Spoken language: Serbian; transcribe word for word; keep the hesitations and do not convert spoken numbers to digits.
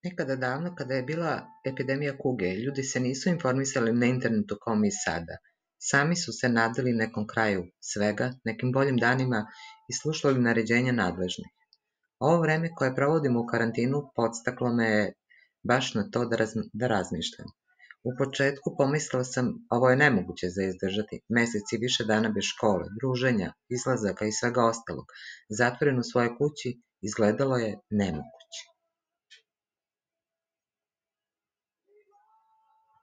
Nekada davno, kada je bila epidemija kuge, ljudi se nisu informisali na internetu kao mi sada. Sami su se nadali nekom kraju svega, nekim boljim danima i slušali naređenja nadležnih. Ovo vreme koje provodimo u karantinu podstaklo me je baš na to da, raz, da razmišljam. U početku pomislila sam, ovo je nemoguće za izdržati, meseci više dana bez škole, druženja, izlazaka i svega ostalog, zatvoren u svojoj kući, izgledalo je nemoguće.